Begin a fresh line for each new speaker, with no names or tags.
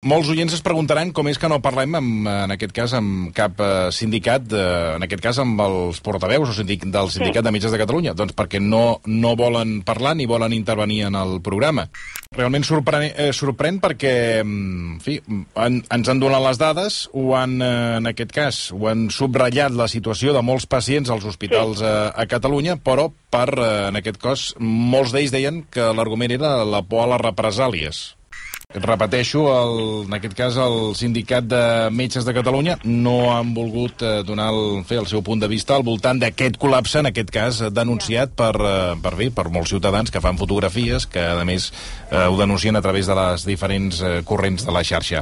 Molts oients es preguntaran com és que no parlem, en aquest cas, amb cap sindicat, en aquest cas amb els portaveus del Sindicat de Metges de Catalunya. Doncs perquè no volen parlar ni volen intervenir en el programa. Realment sorprèn perquè, en fi, ens han donat les dades, en aquest cas, ho han subratllat la situació de molts pacients als hospitals a Catalunya, però en aquest cas, molts d'ells deien que l'argument era la por a les represàlies. Repeteixo, en aquest cas el Sindicat de Metges de Catalunya no han volgut donar el seu punt de vista al voltant d'aquest col·lapse, en aquest cas denunciat per molts ciutadans que fan fotografies, que a més ho denuncien a través de les diferents corrents de la xarxa.